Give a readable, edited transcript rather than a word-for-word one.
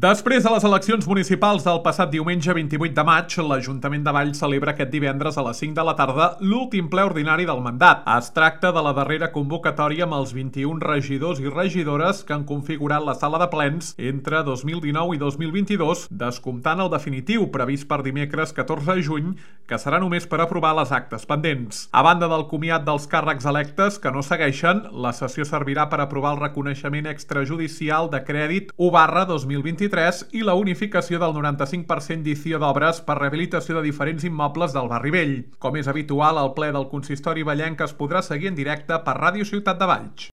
Després de les eleccions municipals del passat diumenge 28 de maig, l'Ajuntament de Valls celebra aquest divendres a les 5 de la tarda l'últim ple ordinari del mandat. Es tracta de la darrera convocatòria amb els 21 regidors i regidores que han configurat la sala de plens entre 2019 i 2022, descomptant el definitiu previst per dimecres 14 de juny, que serà només per aprovar les actes pendents. A banda del comiat dels càrrecs electes que no segueixen, la sessió servirà per aprovar el reconeixement extrajudicial de crèdit 1/2023 i la unificació del 95% d'inici d'obres per rehabilitació de diferents immobles del Barri Vell. Com és habitual, el ple del consistori vallenc es podrà seguir en directe per Ràdio Ciutat de Valls.